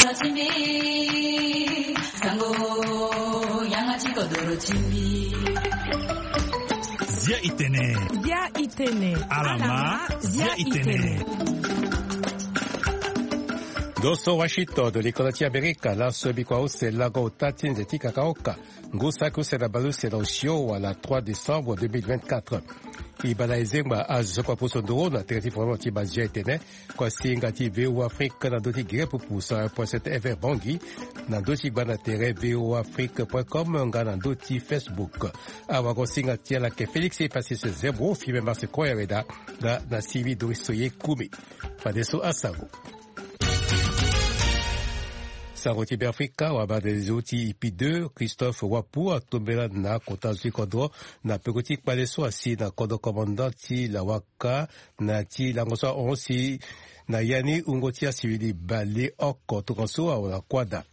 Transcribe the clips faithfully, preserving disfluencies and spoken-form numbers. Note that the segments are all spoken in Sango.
Zia itene. Zia itene. Alama. Zia itene. Ndo so Washington, likolo ti Amerika, laso bikua use lango ota ti nze ti kakaoka. Ngu saki use na baleuse na osio wala trois décembre deux mille vingt-quatre. E baa na ezengba azo so kua poso nduru na tere ti format ti bazia etene. Kua singa ti V O Afrique na ndö ti gere pupu cent un point sept F M Bangui, na ndö ti gba na tere V O Afrique point com nga na ndö ti Facebook. Awago singa ti ala ke Félix Epasis Zembro, Firmin Marse Koyareda nga na Sylvie Doris Soye Kumi. Fadeso asango. Sango ti Beafrika, wabadelezo ti ipi deux, Christophe Wapu atombela na kota zo ti kodro na peko ti kpale so asi na kodro commandant ti Lawaka na ti lango so ahon si na ya ni wungo ti asivili bale oko tongaso awara kuâ daa.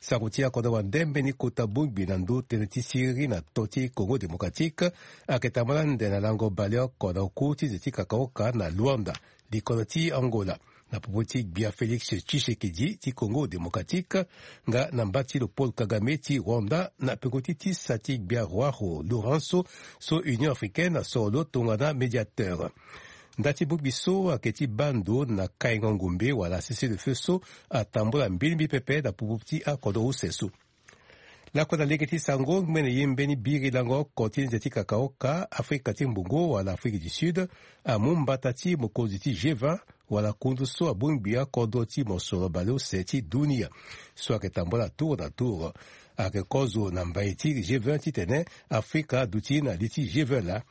Sango ti akodro wande mbeni kota bongbi na ndö tënë ti siriri na to ti Congo Démocratique ayeke tambula ande na lango baleoko na oku ti nze ti kakaoka na Luanda, likolo ti Angola, na popo ti gbia Félix Tshisekedi ti Congo Démocratique nga na mba ti lo Paul Kagame ti Rwanda na peko ti tisa ti gbia Joao Lourenço so Union Africaine asoro lo tongana médiateur. Nda ti bongbi so ayeke ti baa ndo na kaingo ngombe wala cessez-le-feu so atambula mbilimbi pepe na popo ti akodro use so. Lakue na lege ti sango, ngbene ye mbeni biri lango oko ti nze ti kakaoka, Afrika ti Mbongo wala Afrique du Sud amu mbata ti mokonzi ti G vingt wala kundu so abongbi akodro ti mosoro baleuse ti dunia so ayeke tambula tour na tour. Ayeke kozo na mbai ti G vingt titene Afrika aduti na li ti G vingt laa.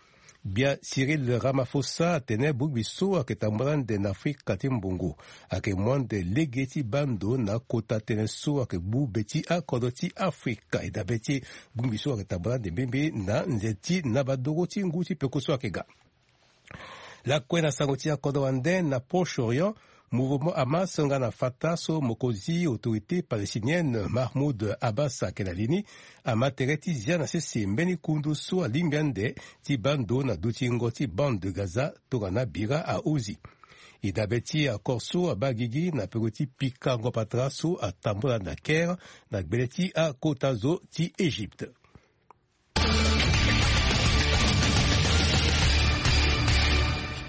Gbia Cyril Ramaphosa atene bongbi so ayeke tambula ande na Afrika ti Mbongo ayeke mu ande lege ti baa ndo na kota tënë so ayeke gbu be ti akodro ti Afrika. E dabe ti bongbi so ayeke tambula ande mbirimbiri na nze ti nabadoro ti ngu ti peko so ayeke ga. Lakue na sango ti akodro wande na Proche-Orient, mouvement Hamas nga na Fatah so mokonzi autorité palestinienne Mahmoud Abbas ayeke na li ni ama tere ti zia na sese mbeni kundu so alingbi ande ti baa ndo na dutingo ti bande de Gaza tongana bira ahunzi. E dabe ti accord so abaa gigi na peko ti pikango patara so atambula na Caire na gbele ti akota zo ti Égypte.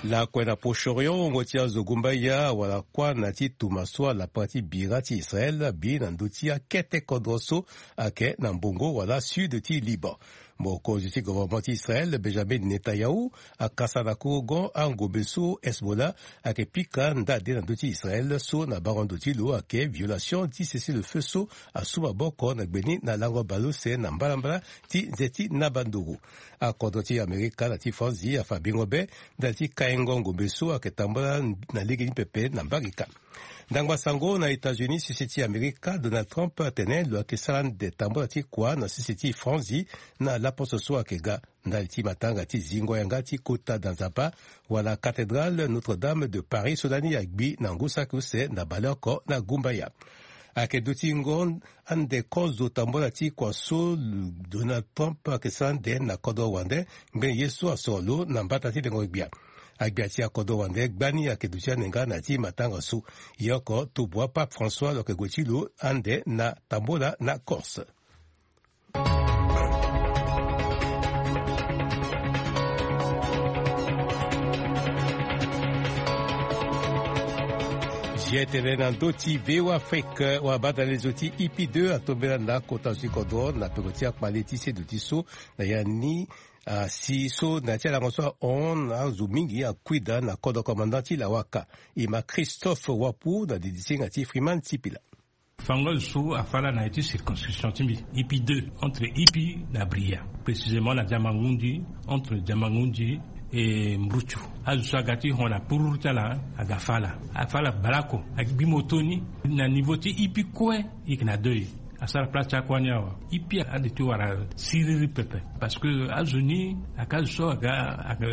Lakue na Proche-Orient, wungo ti azo gumbaya wala kuâ na ti tuma so alapa ti bira ti Israël abi na ndö ti akete kodro so ayeke na mbongo wala sud ti Liban. Mokonzi ti gouvernement ti Israël, Benjamin Netanyahu, akasa na korogon angombe so Hezbollah ayeke pika ndade na ndö ti Israël so na bango ndo ti lo ayeke violation ti cessez-le-feu so asu maboko na gbe ni na lango baleuse na mbalambala ti nze ti nabanduru. Akodro ti Amerika na ti Franzi afa bingo be ndali ti kaingo ngombe so ayeke tambula na lege ni pepe na mbarika. Ndangba sango na États-Unis, sese ti Amerika, Donald Trump atene lo yeke sara ande tambula ti kua na sese ti Franzi na laposo so ayeke ga ndali ti matanga ti zingo yanga ti kota da nzapa wala cathédrale Notre-Dame de Paris so lani agbi na ngu saki use na baleoko na gumbaya. Ayeke dutingo ande kozo tambula ti kua so Donald Trump ayeke sara ande na kodro wande ngbene ye so asoro lo na mbata ti lengo gbia. Agbia ti akodro wande gbani ayeke duti ande nga na ya ti matanga so. Ye oko tobua Pape François lo yeke gue ti lo ande na tambula na Corse. Zia tene na ndö ti V O A Afrique, wabadalezo ti I P deux atombela na kota zo ti kodro na peko ti akpale ti seduti so na ya ni asi so na ya ti alango so ahon na azo mingi akuida na kodro commandant ti Lawaka. E ma Christophe Wapu na didi singa ti Freeman Sipila. Fango so afa ala na ya ti circonscription ti mbi, I P deux, entre I P na Bria, précisément na Diamangundi, entre Diamangundi et Mbrutsu. Azo so aga ti hon na pururu ti ala aga fa ala. Afa ala baleoko, agbi moto ni na niveau ti I P kue, e yeke na deuil. Asara place ti akua ni awe. I P ade ti wara siriri pepe. Parce que azo ni ayeke azo so aga, aga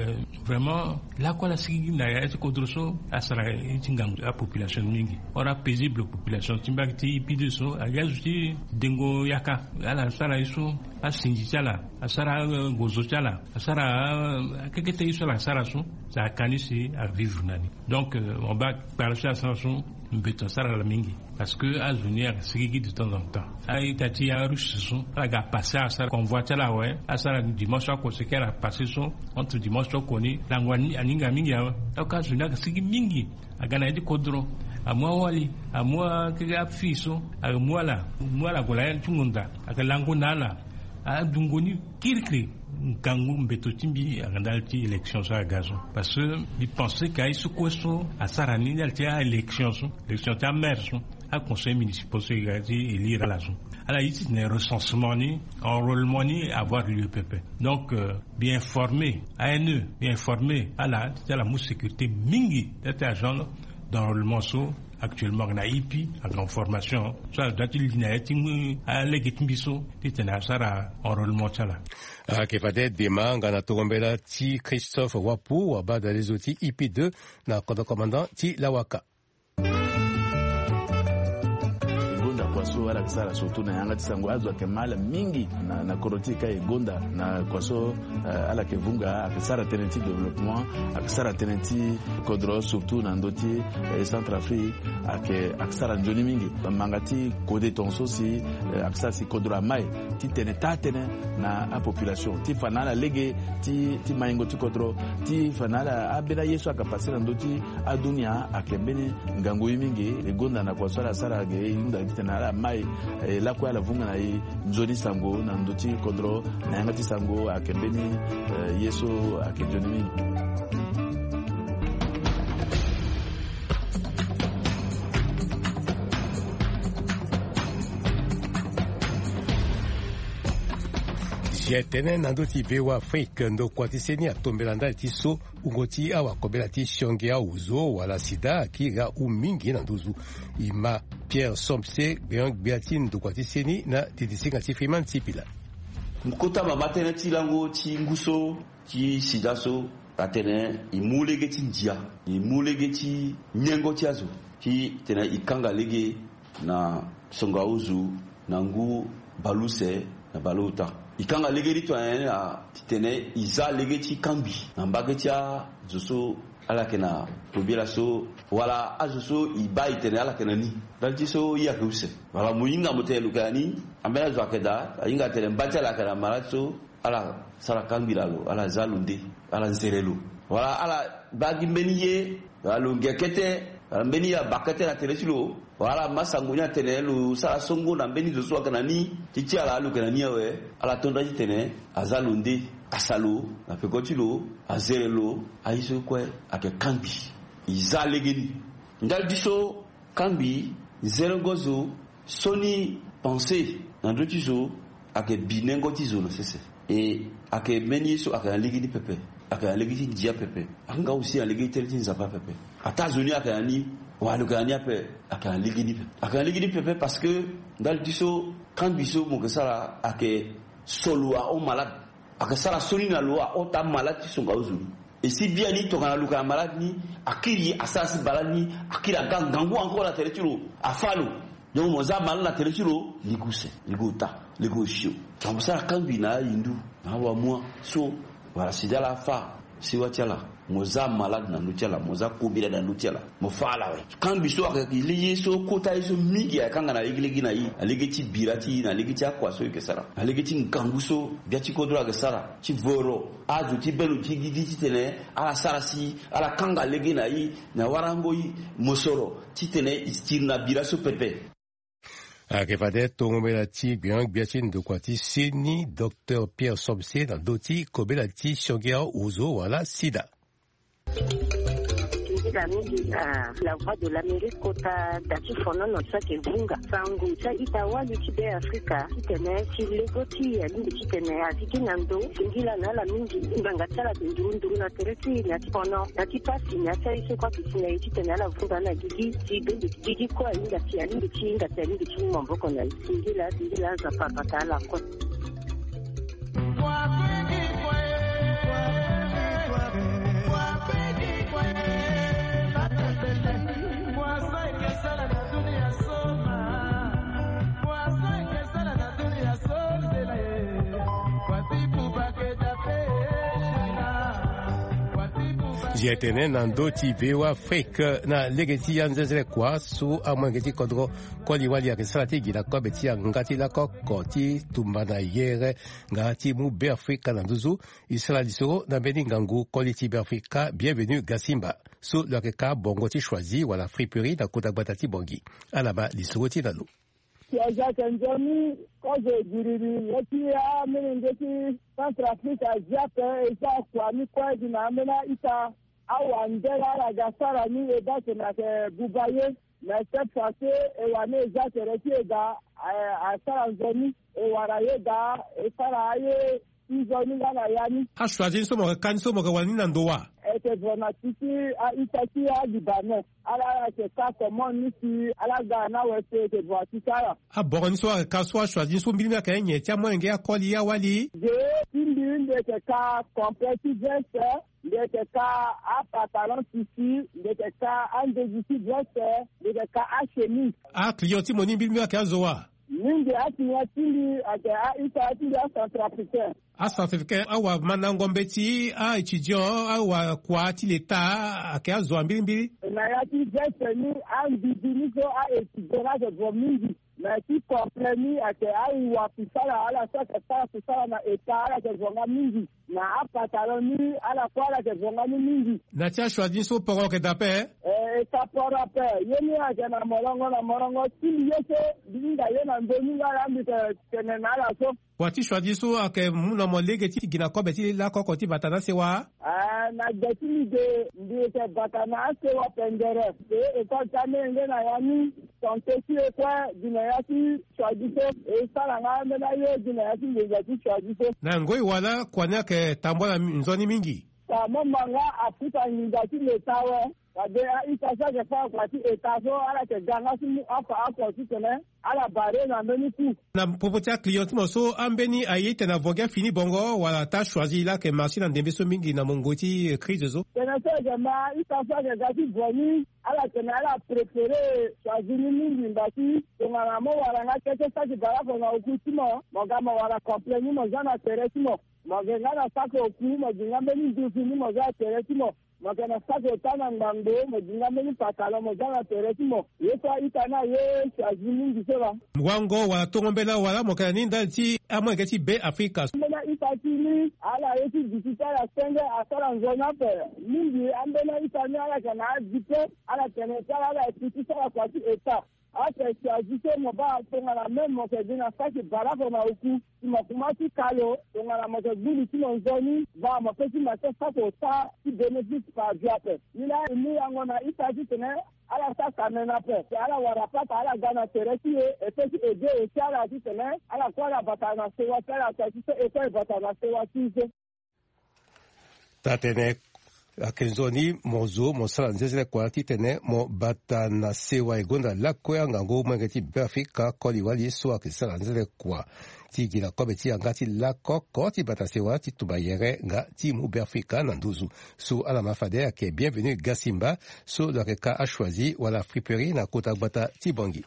vraiment lakue ala sigi na ya ti kodro so asara ye ti ngangu apopulation mingi. Ora paisible population ti mbage ti I P deux so aga azo ti dengo yaka. Ala sara ye so Asinzi ti ala asara, gozo ti ala asara, akekete ye so ala sara so. Sa akani si avivre na ni. Donc mo baa kpara so asara so, mbeto asara ala mingi. Parce que azo ni aga sigigi de temps en temps. A-ita ti arusse so ala ga passe asara convoi ti ala awe. Asara dimanche oko seke ala passe so. Entre dimanche oko ni lango aninga mingi awe. Donc azo ni aga sigigi mingi. Aga na ya ti kodro, amu awali, amu akeke afille so, amu ala, amu ala gue na ya ti ngonda, aga lango na ala. Adungo ni kirikiri. Ngangu mbeto ti mbi aga ndali ti élection so aga so. Parce que mbi pense ka ye so kue so asara ni ndali ti a-élection so, élection ti amaire so, aconseil municipal so e ga ti élire ala so. Ala ye titene recensement ni, enrôlement ni avoir lieu pepe. Donc bien informer, ane bien informer ala ti ala mu sécurité mingi. Ti agent d'enrôlement so actuellement aga na ipi, aga na formation so ala doit ti li na ya ti mu alege ti mbi so titene asara enrôlement ti ala. Ayeke fade dema nga na tongo mbela ti Christophe Wapu, wabadalezo ti ipi deux, na kodro commandant ti Lawaka. E gonda kua so ala yeke sara surtout na yanga ti sango, azo ayeke ma ala mingi na, na kodro ti e ka e gonda na kua so, eh, ala yeke vunga, ayeke sara tënë ti développement, ayeke sara tënë ti kodro surtout na ndö ti, eh, Centrafrique, ayeke, ayeke sara nzoni mingi. Manga ti kode tongaso si, eh, ayeke sara si kodro amai titene taa tënë na apopulation ti fa na ala lege ti, ti maingo ti kodro, ti fa na ala ambeni aye so ayeke passe na ndö ti adunia ayeke mbeni ngangu ye mingi. E gonda na kua so ala sara ge e hunda titene ala mai, eh, lakue ala vunga na e nzoni sango na ndö ti kodro na yanga ti sango ayeke mbeni, eh, ye so ayeke nzoni mingi. Zia tënë na ndö ti V O A Afrique, ndokua ti seni atombela ndali ti so wungo ti awakobela ti sionge aozo wala sida akiri ahu mingi na nduzu. E ma Pierre Somse, gbeon-gbia ti ndokua ti seni na didisinga ti Freeman Sipila. Kota mama tënë ti lango ti ngu so ti sida so atene e mu lege ti ndia, e mu lege ti nyengo ti azo titene e kanga lege na songo aozo na ngu baleuse na baleota. E kanga lege ni tonga nyen na titene e za lege ti kangbi na mbage ti azo so ala yeke na kobela so, wala azo so e baa e tene ala yeke na ni. Ndali ti so ye ayeke use. Wala mo hinga mo tene lo yeke na ni, ambeni azo ayeke daa, ahinga atene mba ti ala ayeke na malade so, ala sara kangbi na lo, ala za lo nde, ala nzere lo. Wala ala baa gi mbeni ye, wala lo nge kete, wala mbeni ye abaa kete na tere ti lo, wala ala ma sango ni atene lo sara songo na mbeni zo so ayeke na ni, ti ti ala lo yeke na ni awe, ala to nda titene aza lo nde, asa lo na peko ti lo, azere lo, aye so kue ayeke kangbi. E za legeni. Ndali ti so kangbi, zerengo zo, sioni pensée na ndö ti zo, ayeke bi nengo ti zo na sese. E ayeke mbeni ye so ayeke na lege ni pepe, ayeke na lege ti ndia pepe, ayeke nga aussi na lege ti tënë ti Nzapa pepe. Ataa zo ni ayeke na ni, wala lo yeke na ni ape, ayeke na lege ni pepe, ayeke na lege ni pepe parce que ndali ti so kangbi so mo yeke sara ayeke so lo ahon malade. Ayeke sara sioni na lo ahon taa malade ti songo aozo ni. E si biani tongana lo yeke na malade ni, akiri asara si malade ni, akiri aga ngangu encore na tere ti lo, afâ lo. Donc mo za malade na tere ti lo, lege use, lege ota, lege osio. Tongana mo sara kangbi na ayindu, na awamua so, wala sida laa afâ sewa ti ala. Mo za malade na ndö ti ala, mo za kobela na ndö ti ala, mo fâ ala awe. Kangbi so ayeke lege ye so kota ye so mingi ayeke kanga na legelege na e, na lege ti bira ti e, na lege ti akua so e yeke sara, na lege ti ngangu so gbia ti kodro ayeke sara ti voro azo ti bê lo ti gigi titene ala sara si ala kanga lege na e na warango e mosoro titene e tiri na bira so pepe. Ayeke fade tongo mbela ti gbeon-gbia ti ndokua ti seni, docteur Pierre Somse, na ndö ti kobela ti sionge aozo wala sida. Nzila mingi na La Voix de l'Amérique kota da ti fonono so ayeke vunga sango ti a-ita wali ti Be Afrika titene ti lego ti e alingbi titene azi gi na ndo. Singila na ala mingi ngbanga ti ala ayeke nduru nduru na tere ti e na ya ti fono, na ya ti pasi, na ya ti aye so kue ayeke si na e titene ala vunga na gigi ti bende ti gigi kue ahinga ti alingbi ti hinga ti alingbi ti mu maboko na e. Singila, singila, Nzapa abata ala kue. Ye tene na ndö ti V O A Afrique na lege ti anzenzele kua so amolenge ti kodro koli-wali ayeke sara ti gi na kobe ti yanga ti lakoko ti tumba na yere nga ti mu Beafrika na nduzu. E sara lisoro na mbeni ngangu koli ti Beafrika Bienvenu Gasimba so lo yeke ka bongo ti choisi wala friperie na kota gbata ti Bangui. Ala ma lisoro ti na lo. Ti aza ayeke nzoni kozo giriri ye ti amolenge ti Centrafrique azi ape. E za kua ni kue gi na ambeni a-ita awandela ala ga sara ni. E baa tene ayeke buba ye. Mais cette fois-ci e wani e za tere ti e daa. Eh, asara nzoni. E wara ye daa. E sara aye ti nzoni nga na ya ni. Achoisi ni so mo yeke ka ni so mo yeke wara ni na ndo wa? E yeke vo na ti ti a-ita ti a-Libanais. Ala, ala yeke ka commande ni si ala ga na awe so e yeke vo na ti ti ala. Aboro ni so ayeke ka so achoisi ni so mbilimbi ayeke nyen ti amolenge akoli awali? Ge ti mbi, mbi yeke ka complet ti veste. Mbi yeke ka apantalon tissu. Mbi yeke ka andezi ti veste. Mbi yeke ka achemise. Aclient ti mo ni mbilimbi ayeke azo wa? Mingi aclient ti mbi ayeke a-ita ti mbi acentrafricain. Acentrafricain awamandango mbeti, a-étudiant, awakua ti leta ayeke azo wa mbilimbili. Na ya ti veste ni, ambibi ni so a-étudiant ni ayeke vo mingi. Na ya ti complet ni ayeke awakusala, ala so ayeke sara kusala na état, ala yeke vo nga mingi. Na apantalon ni, ala kue ala yeke vo nga ni mingi. Na ti achoisi ni so poro ayeke daa ape? Eh, e ka poro ape. Ye ni ayeke na molongo na molongo ti mbi ye so mbi hinga ye na ndö ni nga laa mbi yeke tene na ala so. Wa ti choisi so ayeke mu na mo lege ti gi na kobe ti lakoko ti bata na asewa? Ah, na gbe ti mbi ge, mbi yeke bata na asewa pendere. E, école ti amolenge na ya ni, santé ti e kue gi na ya ti choisi so. E sara nga ambeni aye gi na ya ti nginza ti choisi so. Na ngoi wala kua ni ayeke tambula nzoni mingi? Ka mo ma nga afuta nginza ti leta awe. Fade a-ita so ayeke fâ kua ti état so ala yeke ga nga ti mu afa oko titene ala barre na mbeni coût. Na popo ti aclient ti mo so, ambeni aye ti tene avo gi afini bongo wala ata choisi laa ayeke marché na ndembe so mingi na mungo ti crise so? Tene so e yeke ma a-ita so ayeke ga ti vo ni, ala tene ala préféré choisi ni mingi ngba ti tongana mo wara nga kete saki barako na oku ti mo, mo ga mo wara complet ni mo za na tere ti mo. Mo yeke nga na saki oku, mo gi nga mbeni nduzu ni mo za na tere ti mo. Mo yeke na saki ota na ngbangbo, mo gi nga mbeni pantalon mo za na tere ti mo. Ye so a-ita ni aye choisi mingi so laa. Wango wala tongo mbela wala mo yeke na ni ndali ti amolenge ti Beafrika? Ambeni a-ita ti ni, ala ye ti duti ti ala senge asara nzoni ape. Mingi ambeni a-ita ni ala yeke na adiplôme, ala tene ti ala ala yeke ti sara kua ti état. Ake choisi so mo baa tongana même mo yeke gi na saki barako na oku, si mo kuma ti ka lo, tongana mo yeke gbu li ti mo nzoni, baa mo pe ti ma ti saki ota ti bénéfice par vie ape. Ni laa e mu yango na ita titene ala sara kamene ape. Si ala wara pata ala ga na tere ti e, e pe ti aidé aussi ala titene ala kue ala bata na sewa ti ala, ata ti so e kue e bata na sewa ti e so. Taa-tënë, ayeke nzoni mo zo mo sara nzenzele kua titene mo bata na sewa. E gonda lakue angangu molenge ti Beafrika koli-wali so ayeke sara nzenzele kua ti gi na kobe ti yanga ti lakoko ti bata sewa ti tumba yere nga ti mu Beafrika na nduzu. So ala ma fade ayeke Bienvenu Gasimba so lo yeke ka achoisi wala friperie na kota gbata ti Bangui.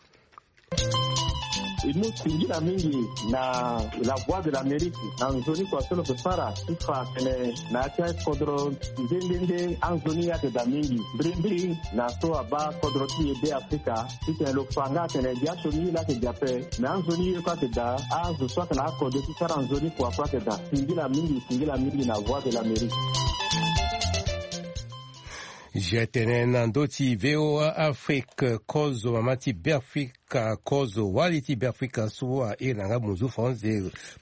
E mu singila mingi na La Voix de l'Amérique na nzoni kua so lo yeke sara ti fa atene na ya ti akodro nde nde nde anzoni ayeke daa mingi. Mbirimbiri na so abaa kodro ti e Beafrika titene lo fa nga atene gi asioni ye laa ayeke gi ape, me anzoni ye kue ayeke daa, azo so ayeke na akode ti sara nzoni kua kue ayeke daa. Singila mingi, singila mingi na Voix de l'Amérique. Zia tene na ndö ti V O A Afrique, kozo mama ti Beafrika, kozo wali ti Beafrika so airi na nga munzu France,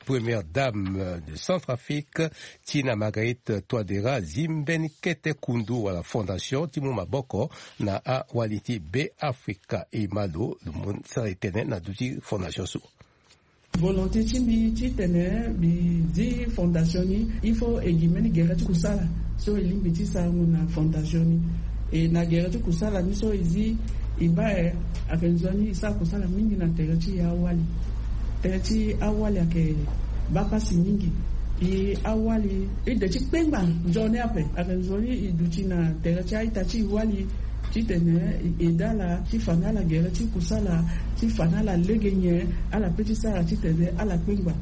première dame de Centrafrique, Tina Marguerite Touadéra, azi mbeni kete kundu wala fondation ti mu maboko na awali ti Beafrika. E ma lo, lo mo sara e tene na ndö ti fondation so. Volonté ti mbi titene mbi zi fondation ni, il faut e gi mbeni gere ti kusala so e lingbi ti sarango na fondation ni. E na gere ti kusala ni so e zi, e baa e ayeke nzoni e sara kusala mingi na tere ti awali. Tere ti awali ayeke baa pasi mingi. E awali e de ti kpengba nzoni ape. Ayeke nzoni e duti na tere ti a-ita ti e wali titene e aidé ala ti fa na ala gere ti kusala, ti fa na ala lege nyen ala pe ti sara titene ala kpengba.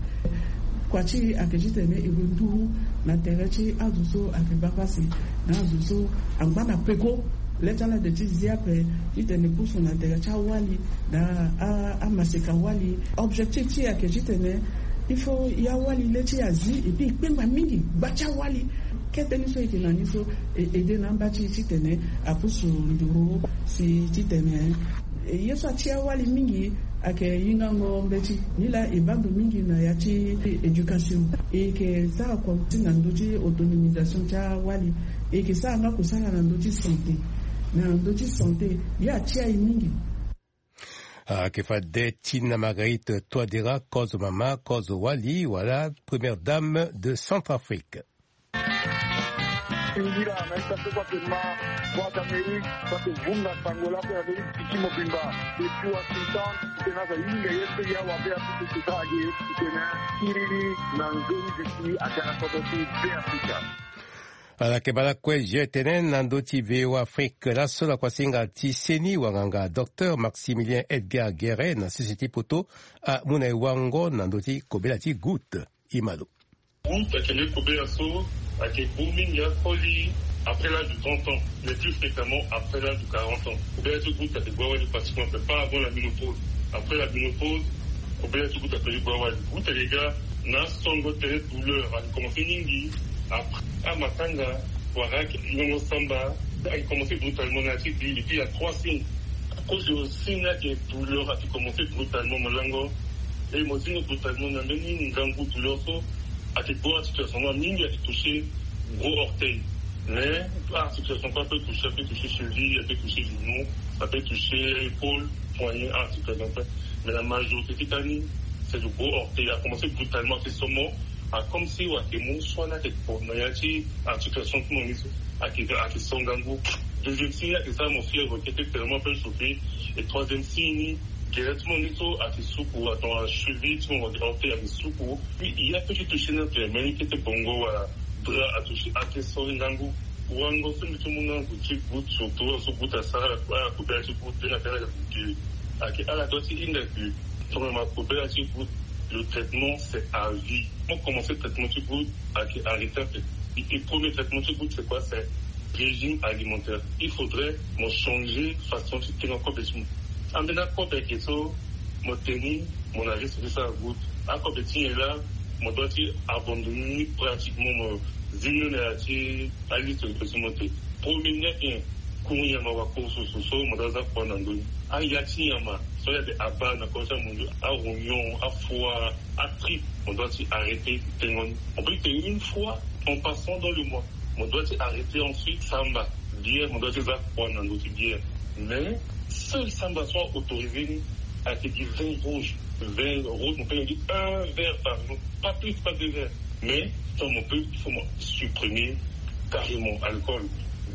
Kua ti e ayeke titene e gue nduru na tere ti azo so ayeke baa pasi, na azo so angba na peko. Le ti ala de ti zi ape titene e pusu na tere ti awali na a- amaseka wali. Objectif ti e ayeke titene il faut e awali le ti e azi, et puis e kpengba mingi gba ti awali. Kete ni so e yeke na ni so e ede na amba ti e titene apusu nduru si titene e ye so ati awali mingi ayeke hingango mbeti. Nilaa e baa ndo mingi na ya ti éducation. E yeke sara kua ti na ndö ti autonomisation ti awali. E yeke sara nga kosala na ndö ti santé. Na ndö ti santé ye ati aye mingi. Ayeke fade Tina Marguerite Touadéra, kozo mama, kozo wali, wala première dame de Centrafrique. Singila na ita so kua ke ma, kua ka meri kua ke vunga sango lako ya meri tiki mobimba. Depuis Washington, tena za yinga ye so ya wa be a tutu tuta age, tena kiriri na nzoni disi a tena koto ti be Afrika. Ala yeke baa lakue je tene na ndö ti V O A Afrique laso na kuasinga ti seni wanganga docteur Maximilien Edgar Guéret na sese ti poto amu na e wango na ndö ti kobela ti goutte. Imalo. Goutte ayeke mbi kobela so ayeke gbu mingi akoli après l'âge de trente ans, mais plus fréquemment après l'âge de quarante ans. Kobela ti goutte ayeke gbu awali pratiquement, mais pas avant la ménopause. Après la ménopause, kobela ti goutte ayeke mbi gbu awali. Goutte ayeke ga na asongo tene douleur ayeke commencé mingi après amatanga, wala ayeke yongo samba, ayeke commencé brutalement na ya ti gbi. Et puis il y a trois signes. Akozo signe ayeke douleur ayeke commencé brutalement, mo lango. E mo zingo brutalement na mbeni ngangu douleur so ayeke gbu articulation noir mingi, ayeke touché gros orteil. Mais articulation kue apeut touché, apeut touché cheville, apeut touché genou, apeut touché épaule, poignet, articulation kue. Mais la majorité ti kani c'est le gros orteil. Akomense brutalement, ayeke so mo, a comme si wa ayeke mu so na ayeke kpo na ya ti articulation ti mo ni so ayeke, ayeke so ngangu. Deuxième signe ayeke sara mo fièvre, kete tellement apeut chauffé. Et troisième signe ni, gere ti mo ni so ayeke suku, ato acheville ti mo wa orteil ayeke suku. Puis il y a petit touché na ape, mbeni kete bongo wala drap atouché, ayeke so ngangu. Wango so mbi ti mu na azo ti goutte, surtout azo so goutte asara ala kobela ti goutte, tena tena ayeke ala doit ti hinga ke tongana ma kobela ti goutte, le traitement c'est à vie. Mo commencé traitement ti goutte, ayeke arrêté ape. Et premier traitement ti goutte c'est quoi? C'est régime alimentaire. Il faudrait mo changer façon ti tengo akobe ti mo. Ambeni akobe ayeke so mo teni, mo na risque ti sara goutte. Akobe ti nyen laa? Mo doit ti abandonner ni pratiquement, mo zi ni na ya ti aliste de ti mo te. Premier ni ayeke kuru nyama wa kuru susu so mo doit za kua na ndö ni. Aya ti nyama so ya de abaa na kodro ti amundu, arognon, afoie, atripe, mo doit ti arrêter tengo ni. On peut tenir une fois en passant dans le mois. Mo doit ti arrêter ensuite samba, bière, mo doit ti za kua na ndö ti bière. Mais seul samba so autorisé ni ayeke gi vin rouge. Vin rouge, mo peut gi un verre par jour, pas plus, pas deux verres. Mais tant mo peut, il faut mo supprimer carrément alcool,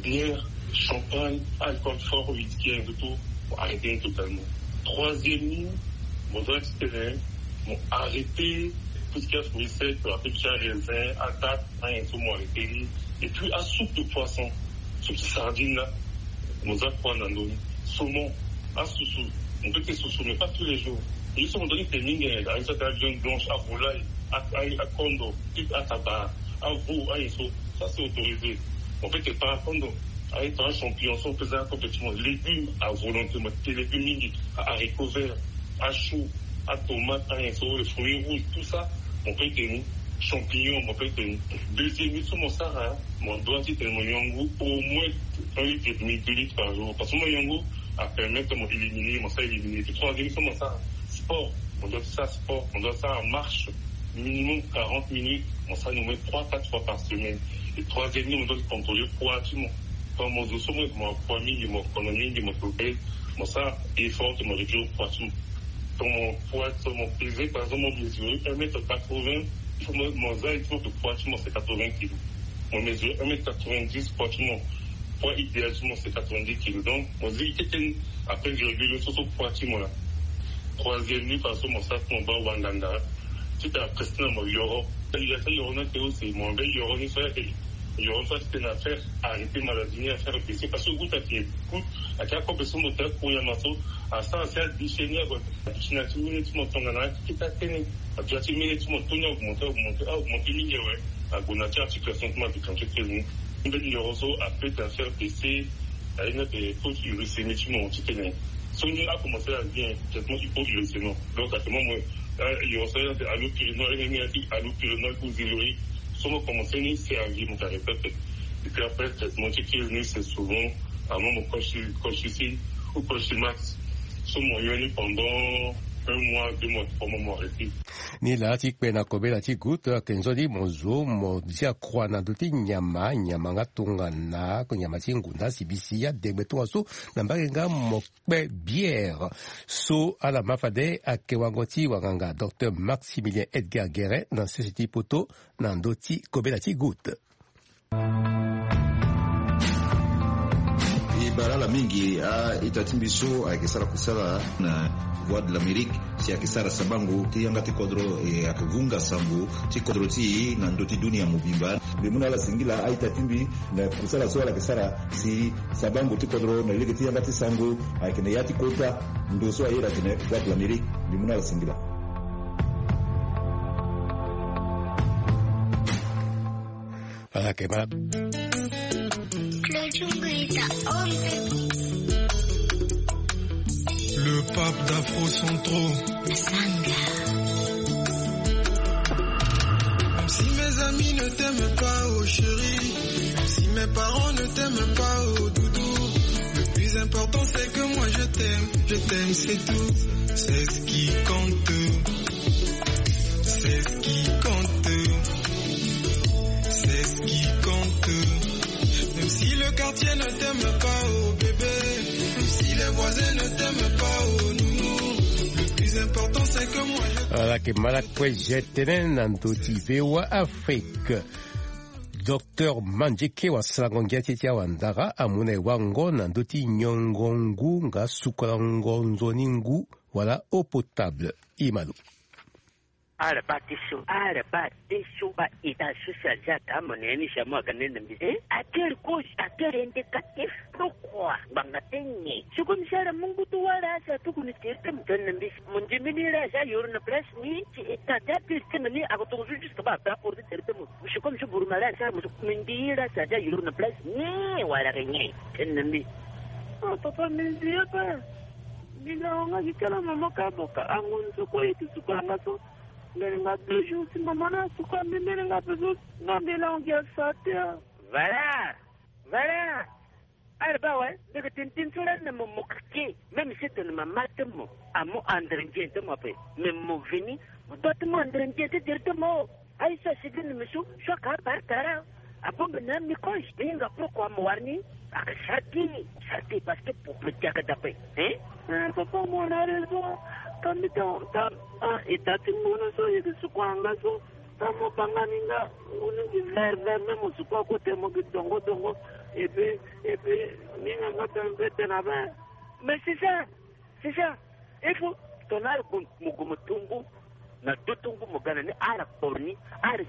bière, champagne, alcool fort, whisky, et tout, mo arrêter ni totalement. Troisième ni, mo doit ti tene mo arrêter tout ce qui est fruits secs, ape ti araisin, adate, ayen so mo arrêter ni. Et puis asoupe de poisson, soupe ti sardine la, mo za kua na ndö ni. Saumon, asusu, mo peut ti susu mais pas tous les jours. Ye so mo doit ti te mingi, ayen so ata viande blanche, avolaille, a- a- akondo, ataba, aveau, ayen so, ça c'est autorisé. Mo peut ti pa akondo, aye tongana achampignon so mo peut za akobe ti mo. Légumes à volonté, mo te légumes mingi, a haricots verts, achou, atomate, ayen so, les fruits rouges, tout ça mo peut ti teni. Champignon mo peut ti teni. Deuxième ni so mo sara, mo doit ti tene mo yongu au moins un litre et demi, deux litres par jour, parce que mo yongu apermettre mo éliminer, mo sara éliminer. Puis troisième ni so mo sara, sport. Mo doit ti sara sport, mo doit sara marche minimum quarante minutes, mo sara ni au moins trois, quatre fois par semaine. Et troisième ni, mo doit ti contrôler poids ti mo. Tongana mo zo so mo yeke mo poids mingi, mo kono mingi, mo obèse, mo sara effort ti mo réduire poids ti mo. Tongana mo poids, tongana mo peser, par exemple mo mesurer un mètre quatre-vingts, il faut mo, mo za effort de poids ti mo c'est quatre-vingts kilos. Mo mesurer un mètre quatre-vingt-dix, poids ti mo, poids idéal ti mo c'est quatre-vingt-dix kilos. Donc mo zi kete ni, après virgule so so poids ti mo la. Troisième ni, parce que mo sara ti mo baa wanganga ti tene après ti na mo yoro. Ya ti yoro ni ake aussi, mo be yoro ni so ya ke Yo so ati tene affaire arrêter maladie ni, affaire baisser parce que goutte ake goutte ake akobe so mo te akuriama so asara si adichénie ago. Adichénie ati mine ti mo tongana ati kita tene. Api ati mine ti mo toni augmenter augmenter augmenter mingi awe. Ago na ti articulation ti mo adukanke tene. Mbeni yoro so apete affaire baisser. Aye na pe taux ti uricémie ti mo ti tene. So ni akomencer la vie traitement hypoglycémique. Donc actuellement mo yoro so ya te allopurinol ene ni ati allopurinol ou zéroïque. So mo commencer ni servi mo ka répète. Et puis après traitement ti crise ni c'est souvent amoin mo kosi kosi si ou kosi max. So mo yo ni pendant un mois deux mois trois mois mo arrêter. Ni laa ti kpe na kobela ti goutte ayeke nzoni mo zo mo zia croix na ndö ti nyama nyama nga tongana nyama ti ngu nda sibisi adegbe tongaso. Na mbage nga mo kpe bière. So ala ma fade ayeke wango ti wanganga docteur Maximilien Edgar Guérin na sese ti poto na ndö ti kobela ti goutte. E bara ala mingi a-ita ti mbi so ayeke sara kusala na Voix de l'Amérique si ayeke sara sabango ti yanga ti kodro e ayeke vunga sango ti kodro ti e na ndö ti dunia mobimba. Mbi mu na ala singila a-ita ti mbi na kusala so ala yeke sara si sabango ti kodro na lege ti yanga ti sango ayeke na ya ti kota ndo so aye la tene Voix de l'Amérique. Mbi mu na ala singila. Voilà, que ma- Le pape d'Afro Centro. Sanga. Même si mes amis ne t'aiment pas, oh chérie, même si mes parents ne t'aiment pas, oh doudou, le plus important c'est que moi je t'aime, je t'aime, c'est tout. C'est ce qui compte. C'est ce qui compte. C'est ce qui compte. Même si le quartier ne t'aime pas, oh bébé, même si les voisins ne t'aiment pas, oh nounou, le plus important c'est que moi je Voilà, que ma la kue je tene na ndö ti V O A Afrique. Docteur Mandjike wa sarango ngia ti ti awandara amu na e wango na ndö ti nyongo ngu nga sukolango nzoni ngu wala eau potable. Imalo. Ala baa ti so, ala baa ti so, baa ita so si aza ata mo na ya ni si amu aga nene na mbi. Eh? À quelle cause, à quel indicatif? Pourquoi? Ngbanga ti nyen? Si comme si ala mu ngu ti wâ ala si atuku ni tere ti mo tene na mbi si mo ndimi ni la si ayoro na place ni si ita ti atere ti mo ni ako tongo so juste baa ape aporo ti tere ti mo. Si comme si buru ma la si ala mo so mbi ndi la si aza ayoro na place ni wala ke nyen? Tene na mbi. Ah papa, mbi ndi ape. Mbi na wanga gi kala mama ka boka ango nzoko ye ti suka anga so. Mbele nga deux jours ti mama na suka mbi mbele nga pe so. Nga mbele ango gi asa te. Voilà. Voilà. Ala baa awe, mbi yeke tene tënë so lani na mo, mo keke. Même si tene mama ti mo amu andre nzoni ti mo ape, mais mo veni mo doit ti mu andre nzoni ti tere ti mo. Aye so asigi na mbi so, so aka abare tara. Abongbi na mbi koy, mbi hinga pourquoi mo wara ni. Aka sara ti, sara ti parce que pour petit aka dape. Hein? Eh, papa, mo na raison. Ka mbi ta, ta, ah, e ta ti ngunu so, e yeke suku anga so. Tango mo banga ni nga, ngunu gi vert vert, même mo suku akote mo gi dongo dongo. Et puis, et puis, ni nga nga tene mpe tene abe. Mais c'est ça, c'est ça. Il faut tongana ala gue mo gue mo tu ngu na duti ngu mo ga na ni ala kporo ni, ala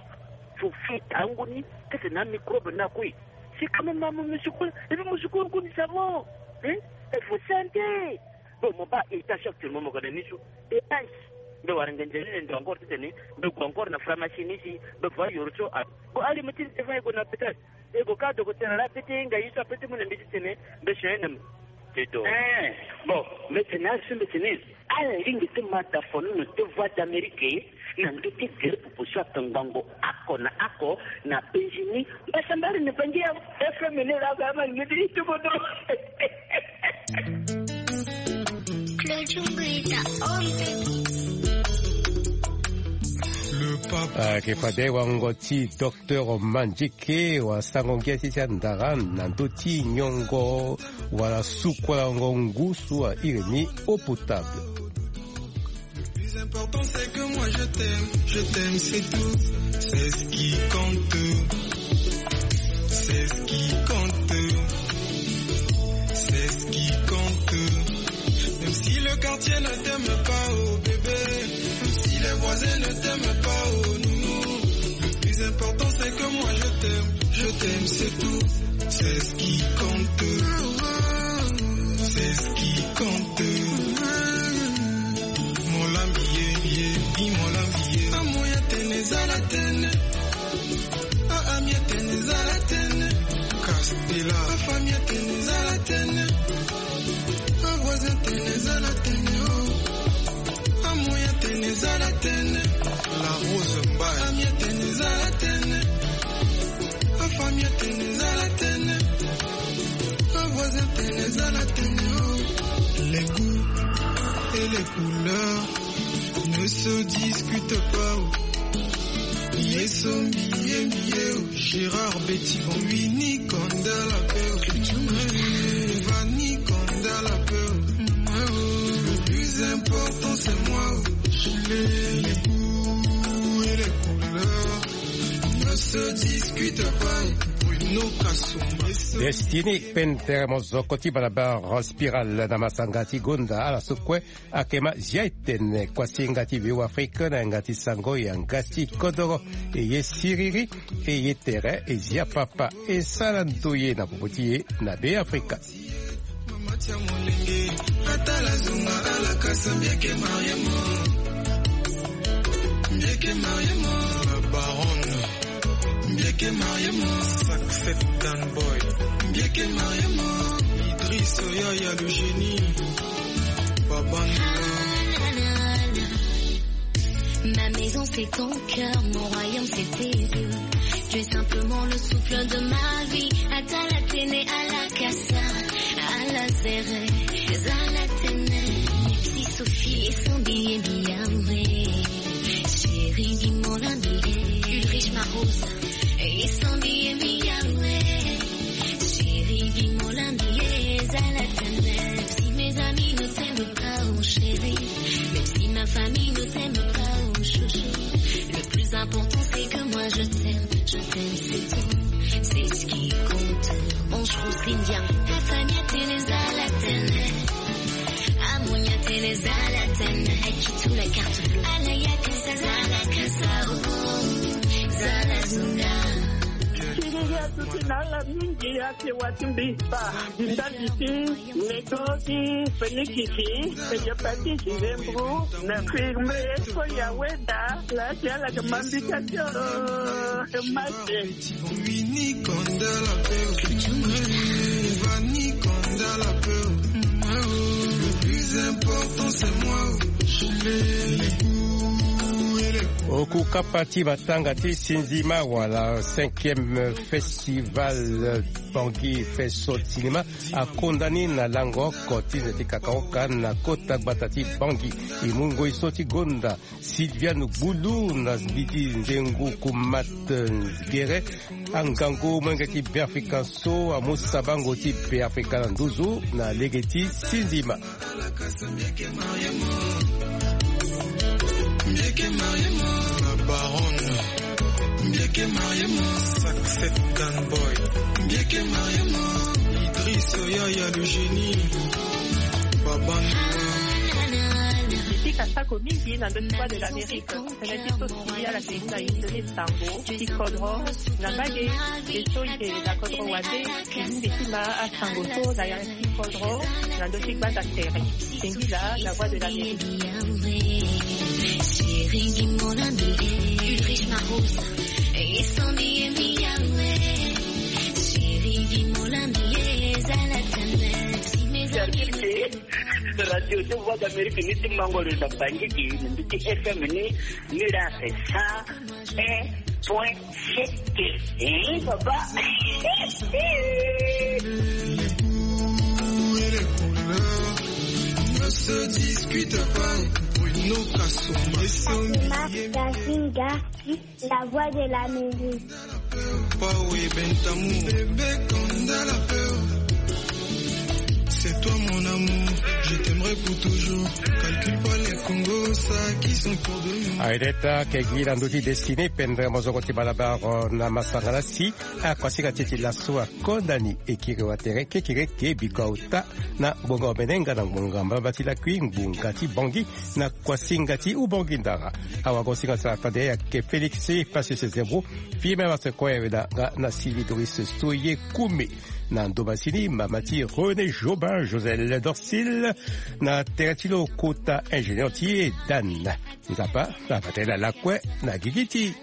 fu fita ngu ni, kete na microbe na kui. C'est quand même ma mo musukula, et puis musukula ngu ni savon. Hein? Il faut santé. Bon, mo baa étage actuellement mo ga na ni so. Étage. Mbe wara ngenze ni ndo encore ti tene. Mbe gue encore na pharmacie ni si. Mbe va yoro so a. Bon, allez, mo ti ni te va e gue na hôpital. E gue ka docteur la pete hinga ye so apete mu na mbi ti tene. Mbe si aye na mbi. Te do. Eh, bon, mbe tene aye so mbe tene. Ala lingbi ti ma da fono na te Voix d'Amérique. Na ndö ti gere popo so atongbango ako na ako na Benjini. Mbasambari na Bangi ya F M ni la ga ma ni ti ti bodo. Claudio Mbuita, Ompe. Le pape. Ah, ke fade wango ti docteur Mandjike wa sango ngia ti ti andara na ndö ti nyongo wala sukolango ngu so airi ni eau potable. Le plus important c'est que moi je t'aime, je t'aime, c'est tout. C'est ce qui compte. C'est ce qui compte. C'est ce qui compte. Même si le quartier ne t'aime pas, oh bébé, même si les voisins ne t'aiment pas, oh nounou, le plus important c'est que moi je t'aime. Je t'aime, c'est tout. C'est ce qui compte. C'est ce qui compte. Mon lambiye, ye, bi mon lambiye. Amoya tene zala tene. Ah, amia tene zala tene. Castela. Afamia tene zala tene. Avoisin tene zala tene. Oh. Amoya tene zala tene. La Rose Mbaye. Amia tene zala tene. Afamia tene zala tene. Avoisin tene zala tene. Oh. Les goûts et les couleurs ne se discutent pas. Oh. Yeso mbiye mbiye. Oh. Gérard Betty Van Winnie Kandala Père. Vanny Kandala Père. Le plus important, c'est moi. Les goûts et les couleurs ne se discutent pas. Bruno Kasumba. Destiny Pente mo zoko ti balabala Spiral na masanga ti gonda ala so kue. Akema zia etene kuasinga ti V O Afrique na yanga ti sango yanga ti kodoro. E ye siriri. E ye tere e zia papa. E sara ndoye na popo ti e na Be Afrika. Mama tia molenge, atala zunga alakasa mbieke mariemo. Mbieke mariemo. La baronne. Mbieke mariemo. Saxet Dan Boy. Mbieke mariemo. Idriss Yaya le génie. Babanda. Ma maison c'est ton cœur, mon royaume c'est tes yeux. Tu es simplement le souffle de ma vie. Atala tene alakasa, ala zere, zala tene. Mepsi Sophie et son billet miawe. Chérie, dis-moi la billet. Ulrich Marosa et son billet miawe. Chérie, dis-moi la billet, zala tene. Si mes amis ne t'aiment pas, oh chérie. Même si ma famille ne t'aime pas, oh chouchou. Le plus important, c'est que moi je t'aime. Je t'aime, c'est tout. C'est ce qui compte. On trouve bien. Ta famille, t'es les à la télé. Amonia, t'es les à la télé. Qui tout la carte bleue. Alaya, t'es ça, zala, kasa, oh. Zala, zunga. Siriri atuti na ala mingi ake wati mbi pa. Ndali ti Lego ti Fenikisi, Eyopati Zizembru, na firme Foya Weda, la ti ala ke mambika ti o, ke mate. Vini konda la peur. Vani konda la peur. Le plus important, c'est moi. Les goûts et les... Oku kapa ti matanga ti Sinzima wala cinquième festival Bangui Festival Cinéma akonda ni na lango oko ti nze ti kakaoka na kota gbata ti Bangui. E mu ngoi so ti gonda Sylviane Gbulu na mbi ti nzengu Kumat Gere, angangu molenge ti Beafrika so amu sabango ti Beafrika na nduzu na lege ti Sinzima. Mbieke mariemo. Mbieke mariemo. La baronne. Mbieke mariemo. Saxet Dan Boy. Mbieke mariemo. Idriss Yaya le génie. Babanda. Mbi pika sako mingi na ndö ti Voix de l'Amérique. Tënë ti so si ala ke mu na ye ti sango ti kodro na mbage. Ye so e ke na kodro wande. Mingi ti ma asango so na ya ti kodro na ndö ti gbanda tere. Singila, la Voix de l'Amérique. Chérie, dis-moi la mie. Ulrich Marosa. Et son billet miawe. Chérie, dis-moi la mie. Zala tene. Si mes amis. Radio ti Voix d'Amérique ni ti mango lo na Bangui gi, na mbi ti F M ni, ni la c'est cent un point sept. Eh, papa. Ne se discute pas. Bruno Kasumba. Fatima Kasinga, la voix de la musique. Pawe Bentamu. Bébé Konda la peur. C'est toi mon amour. Je t'aimerai pour toujours. Calcule pas les Congo, ça qui sont pour de nous. Aideta kegi na ndoti destiné pendere mozoko ti balabaro na masanga na si. Akuasinga ti e ti laso akondani ekiri wa tere kekere ke biko auta na ngbonga omene nga na ngbonga mbamba ti lakui ngbonga ti bongi na kuasinga ti ubongi ndara. Awagosinga sara tande ayeke Félix Passus Zebro, Firmin Martin Koyaweda nga na Sylvie Doris Soye Koume. Na ndo masini mama ti René Jobin, Joselle Dorcil, na tere ti lo kota ingénieur ti e Dan. Nzapa na batela lakue na gigi ti.